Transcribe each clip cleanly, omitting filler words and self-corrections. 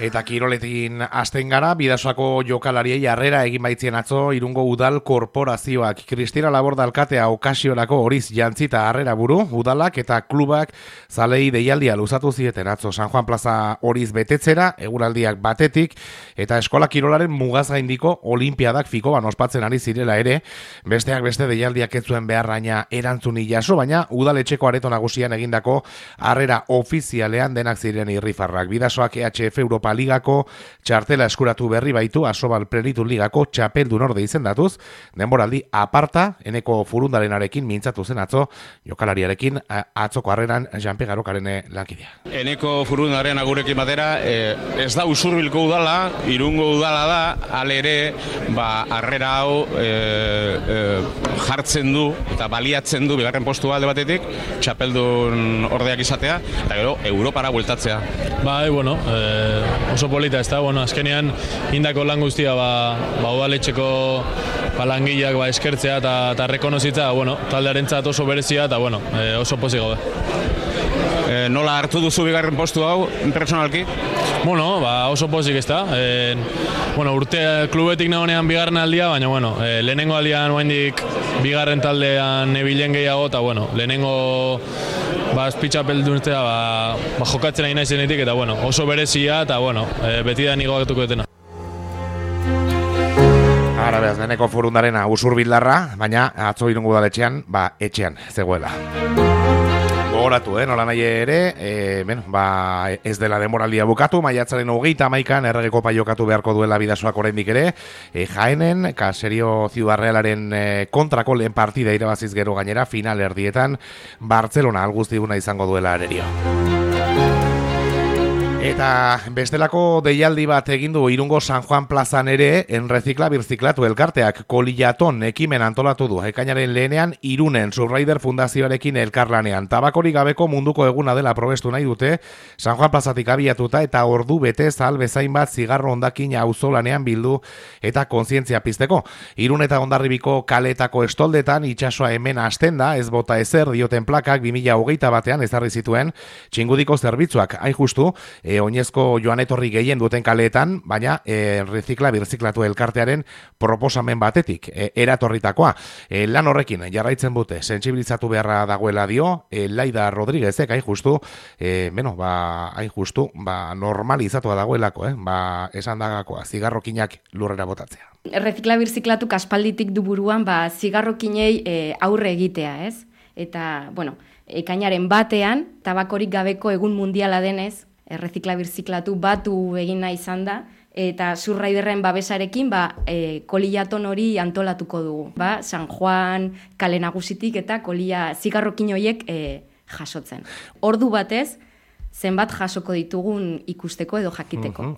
Eta kiroletin hasten gara, Bidasoako jokalariei harrera egin baitzien atzo Irungo Udal Korporazioak. Kristina Laborda alkatea okasiorako horiz jantzita harrera buru, udalak eta klubak zalei deialdia luzatu zieten atzo San Juan Plaza horiz betetzera, eguraldiak batetik, eta eskola kirolaren mugaz gaindiko olimpiadak fikoban ospatzen ari zirela ere, besteak beste deialdiak ez zuen beharraina erantzuni jaso, baina udaletxeko areto nagusian egindako harrera ofizialean denak ziren irrifarrak. Bidasoak EHF Europa Ligako txartela eskuratu berri baitu, Asobal Plenitud Ligako txapeldun orde izendatuz, denboraldi aparta, Eneko Furundarenarekin mintzatu zen atzo, jokalariarekin atzoko harreran Janpe Garokaren lankidea. Eneko Furundaren agurekin batera, ez da Usurbilko udala, Irungo udala da, ale ere, harrera hau jartzen du eta baliatzen du bigarren postua alde batetik, txapeldun ordeak izatea, eta gero Europara bueltatzea. Oso polita ez da, azkenean indako lan guztia udaletxeko langileak eskertzea eta rekonozitza, taldearentzat oso berezia eta oso pozik gaude. Nola hartu duzu bigarren postu hau, personalki? Oso pozik ez da. Urte klubetik nagonean bigarren aldia, baina lehenengo aldian oaindik bigarren taldean ebilen gehiago, eta lehenengo azpitxapelduntzea jokatzen ari naizenetik, eta oso berezia, eta beti da nigo gatuko detena. Ara behaz, Eneko Furundarena Usurbildarra, baina atzo Irungo udaletxean, etxean zegoela. Gogoratu, nola nahi ere, ez dela demoraldia bukatu, maiatzaren 31an Errege Kopa jokatu beharko duela Bidasoak oraindik ere, Jaenen, Caserio Ciudad Realaren kontrako lehen partida irabaziz gero gainera, final erdietan, Bartzelona alguztiguna izango duela arerio. Eta bestelako deialdi bat egin du Irungo San Juan Plazan ere Enrecicla Birziklatu elkarteak koliaton ekimen antolatu du. Ekainaren lehenean Irunen Surraider Fundazioarekin elkarlanean. Tabakorik gabeko munduko eguna dela probestu nahi dute San Juan Plazatik abiatuta eta ordu bete zal bezain bat zigarro hondakin auzolanean bildu eta kontzientzia pizteko. Irun eta Hondarribiko kaletako estoldetan itsasoa hemen hasten da, ez bota ezer dioten plakak 2021 ezarri zituen txingudiko zerbitzuak hain justu oinezko joan etorri gehien duten kaleetan, baina Enrecicla Birziklatu elkartearen proposamen batetik, eratorritakoa. Lan horrekin jarraitzen dute, sentsibilizatu beharra dagoela dio, Laida Rodríguezek, hain justu, normalizatua dagoelako, esan dagakoa, zigarrokinak lurrera botatzea. Enrecicla Birziklatu aspalditik du buruan, zigarrokinei aurre egitea, ez? Eta, ekainaren batean, tabakorik gabeko egun mundiala denez, Errezikla birziklatu batu egin nahi izan da, eta Surraiderren babesarekin koliaton hori antolatuko dugu. San Juan, kale nagusitik eta zigarrokin horiek jasotzen. Ordu batez, zenbat jasoko ditugun ikusteko edo jakiteko.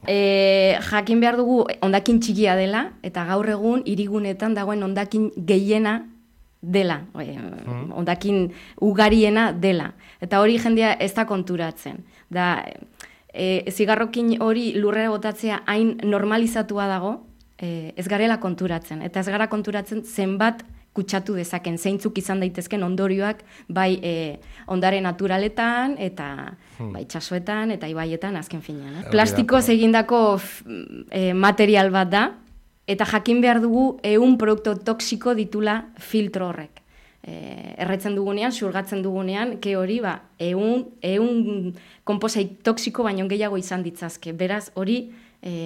Jakin behar dugu hondakin txikia dela, eta gaur egun hirigunetan dagoen hondakin gehiena dela, hondakin ugariena dela. Eta hori jendea ez da konturatzen. Zigarrokin hori lurrera botatzea hain normalizatua dago, ez garela konturatzen. Eta ez gara konturatzen zenbat kutsatu dezaken, zeintzuk izan daitezken ondorioak, bai ondare naturaletan, eta bai itsasoetan, eta ibaietan azken finean. Plastikoz egindako material bat da, eta jakin behar dugu 100 produktu toxiko ditula filtro horrek. Erretzen dugunean, xurgatzen dugunean, hori 100 konposait toxiko baino gehiago izan ditzazke. Beraz, hori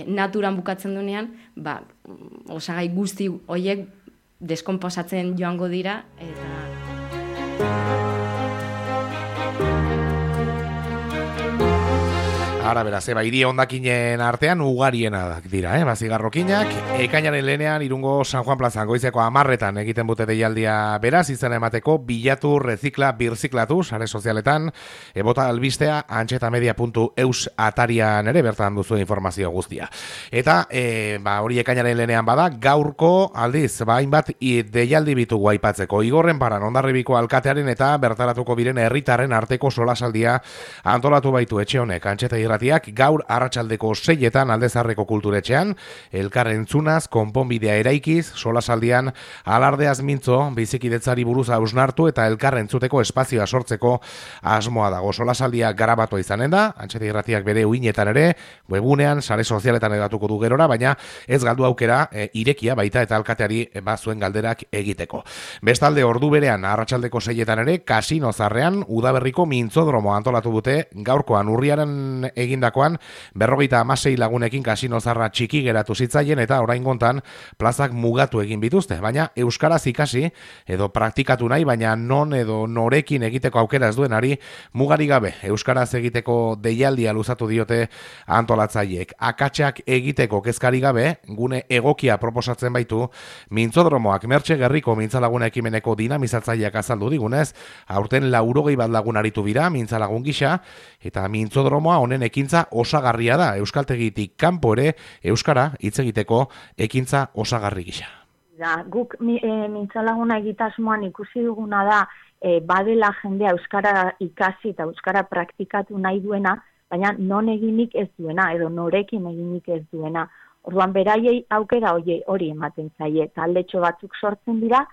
naturan bukatzen dunean, osagai guzti horiek deskonposatzen joango dira, eta... Ara beraz, hiri hondakinen artean ugariena dira, zigarrokinak. Ekainaren lehenean Irungo San Juan Plazan goizeko 10 egiten bute deialdia beraz, izena emateko bilatu Rezikla Birziklatu, sare sozialetan, bota albistea antxetamedia.eus atarian ere bertan duzu informazio guztia. Eta hori ekainaren lehenean bada, gaurko aldiz, hainbat deialdi bitugu aipatzeko. Igorren Paran Hondarribiko alkatearen eta bertaratuko biren herritarren arteko solasaldia antolatu baitu etxe honek, Antxeta Irratiak gaur arratsaldeko 6etan Aldezarreko kulturetxean, elkar entzunaz, konponbidea eraikiz, solasaldian alardeaz mintzo, bizikidetzari buruz hausnartu eta elkar entzuteko espazioa sortzeko asmoa dago. Solasaldia garabatua izanen da, Antxeti Irratiak bere uinetan ere, webunean, sare sozialetan edatuko du gerora, baina ez galdu aukera irekia baita eta alkateari zuen galderak egiteko. Bestalde ordu berean arratsaldeko 6etan ere, Kasino Zarrean udaberriko mintzodromo antolatu dute gaurkoan urriaren egindakoan 56 lagunekin Kasino Zarra txiki geratu zitzaien eta oraingontan plazak mugatu egin bituzte, baina euskaraz ikasi edo praktikatu nahi, baina non edo norekin egiteko aukera ez duenari mugari gabe euskaraz egiteko deialdia luzatu diote antolatzaileek. Akatsak egiteko kezkari gabe gune egokia proposatzen baitu mintzodromoak. Mertxe Gerriko mintzalaguna ekimeneko dinamizatzaileak azaldu digunez, aurten 80 bat lagun aritu bira mintzalagun gisa, eta mintzodromoa honen ekintza osagarria da, euskaltegitik kanpo ere euskara hitz egiteko ekintza osagarri gisa. Guk mintzalaguna egitasmoan ikusi duguna da, badela jendea euskara ikasi eta euskara praktikatu nahi duena, baina non eginik ez duena, edo norekin eginik ez duena. Orduan beraiei aukera hori ematen zaie, taldetxo batzuk sortzen dira,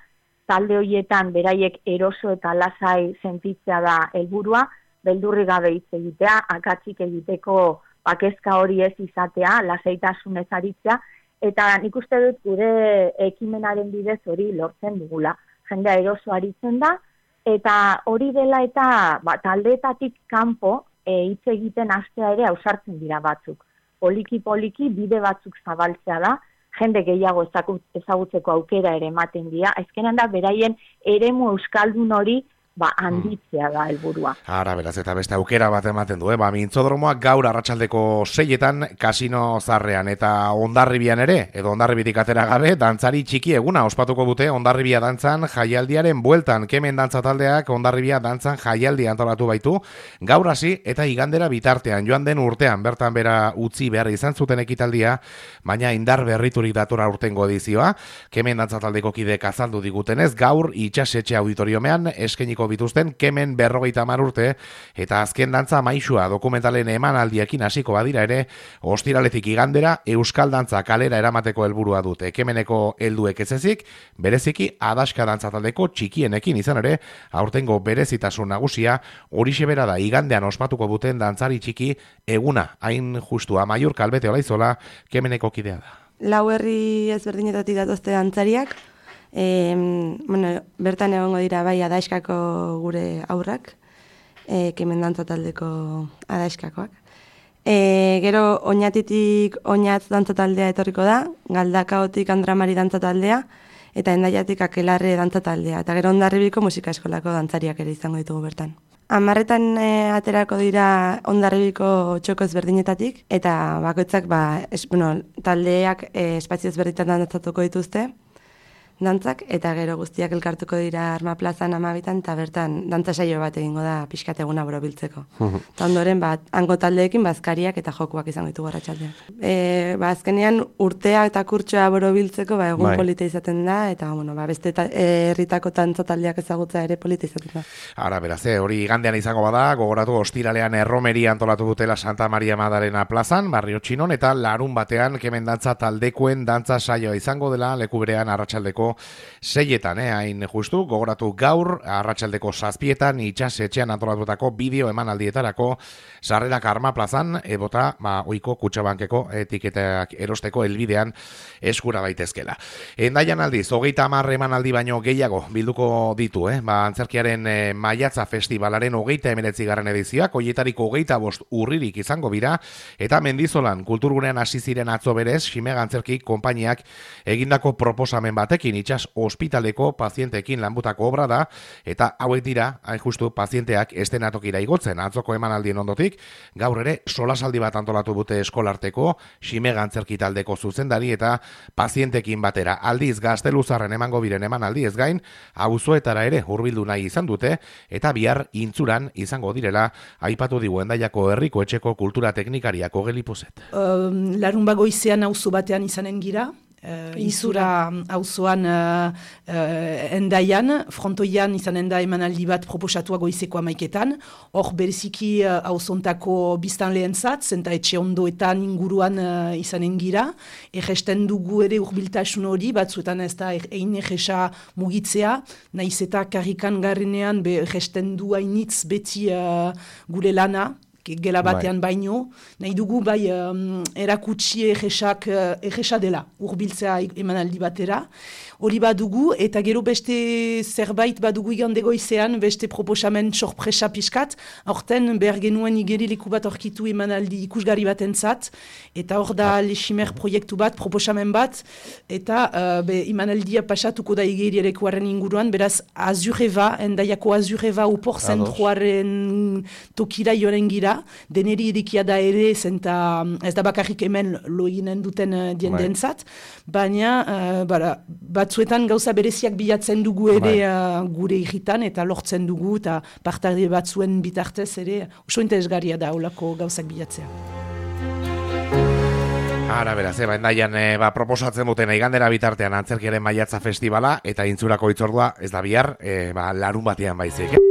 talde horietan beraiek eroso eta lasai sentitzea da helburua, beldurri gabe hitz egitea, akatsik egiteko kezka hori ez izatea, lasaitasunez aritzea, eta nik uste dut gure ekimenaren bidez hori lortzen dugula. Jendea eroso aritzen da, eta hori dela eta taldeetatik kanpo hitz egiten hastea ere ausartzen dira batzuk. Poliki bide batzuk zabaltzea da, jende gehiago ezagutzeko aukera ere ematen dira, azkenan da beraien eremu euskaldun hori handitzea da helburua. Ara, beraz, eta beste aukera bat ematen du, mintzodromoak gaur arratsaldeko 6etan Kasino Zarrean eta Hondarribian ere, edo Hondarribitik atera gabe, dantzari txiki eguna ospatuko dute Hondarribia dantzan jaialdiaren bueltan. Kemen dantza taldeak Hondarribia dantzan jaialdia antolatu baitu, gaur hasi eta igandera bitartean, joan den urtean bertan bera utzi behar izan zuten ekitaldia, baina indar berriturik datora urtengo edizioa. Kemen dantza taldeko kideek azaldu digutenez, gaur itxasetxe auditoriomean eskeniko bituzten Kemen 50 urte eta azken dantza maisua dokumentalen emanaldiekin hasiko badira ere, ostiraletik igandera euskal dantza kalera eramateko helburua dute. Kemeneko helduek ez ezik, bereziki adaska dantza taldeko txikienekin izan ere, aurtengo berezitasun nagusia horixe bera da igandean ospatuko duten dantzari txiki eguna, hain justua. Maiur Kalbete Olaizola Kemeneko kidea da. 4 herri ezberdinetatik datozte dantzariak, bertan egongo dira bai adaiskako gure aurrak, Kemen dantza taldeko adaiskakoak. Gero Oñatitik Oñatz dantza taldea etorriko da, Galdakaotik Andramari dantza taldea, eta Endaiatik Akelarre dantza taldea, eta gero Hondarribiko musika eskolako dantzariak ere izango ditugu bertan. 10etan aterako dira Hondarribiko txoko ezberdinetatik, eta bakoitzak taldeak espazio ezberdinetan dantzatuko dituzte, dantzak, eta gero guztiak elkartuko dira Arma Plazan 12etan, eta bertan dantza saio bat egingo da pixkat eguna borobiltzeko. Eta ondoren, hango taldeekin bazkariak eta jokuak izango ditugu arratsaldean. Azkenean urtea eta kurtsoa borobiltzeko egun polita izaten da, eta beste herritako dantza taldeak ezagutza ere polita izaten da. Ara, beraz, hori igandean izango bada, gogoratu ostiralean erromeria antolatu dutela Santa Maria Madalena plazan, Barrio Txinon, eta larun batean Kemen dantza taldekoen dantza saioa izango dela leku berean arratsaldeko 6etan, hain justu, gogoratu gaur, arratsaldeko 7etan, itxasetxean antolatutako bideo emanaldietarako sarrerak Arma Plazan, ebota, oiko Kutxabankeko etiketak erosteko helbidean eskura daitezkela. Endaian aldiz, 30 emanaldi baino gehiago bilduko ditu, antzerkiaren Maiatza Festivalaren 39. edizioak, hoietariko 25 urririk izango bira, eta Mendizolan kulturgunean hasi ziren atzo berez, Ximega Antzerki konpainiak egindako proposamen batekin itxas ospitaleko pazienteekin lanbutako obra da, eta hauek dira, hain justu, pazienteak estenatokira igotzen atzoko emanaldien ondotik, gaur ere solasaldi bat antolatu dute eskolarteko, Ximega Antzerki taldeko zuzendari eta pazientekin batera. Aldiz Gazteluzarren emango biren emanaldi ez gain, auzoetara ere hurbildu nahi izan dute, eta bihar Intzuran izango direla, aipatu digu Hendaiako herriko etxeko kultura teknikariako Gelipuzet. Larun bagoizean auzo batean izanen gira, Izura auzoan endaian, frontoian izanen da emanaldi bat proposatua goizeko 11etan, hor bereziki auzontako biztanleentzat, zenta etxe ondoetan inguruan izanen gira, erresten dugu ere hurbiltasun hori, batzuetan ez da egin erresa mugitzea, nahiz eta karrikan garrenean erresten du hainitz beti gure lana, gela batean baino, nahi dugu bai erakutsi erresa dela, hurbiltzea emanaldi batera, hori badugu, eta gero beste zerbait badugu igande goizean, beste proposamen sorpresa pixkat, aurten behar genuen igerileku bat orkitu emanaldi ikusgarri batentzat, eta hor da leximer proiektu bat, proposamen bat, eta emanaldia pasatuko da igerilekuaren inguruan, beraz Azureva, endaiako Azureva upor zentruaren tokira joren gira, deneri irikia da ere, zenta ez da bakarrik hemen loinen duten diendentzat, baina batzuetan gauza bereziak bilatzen dugu ere gure irritan, eta lortzen dugu, eta partarde batzuen bitartez ere, oso interesgarria da olako gauzak bilatzea. Ara, beraz, endaian proposatzen duten igandera bitartean antzerkiaren maiatza festivala, eta intzurako hitzordua ez da bihar, larun batean baizik.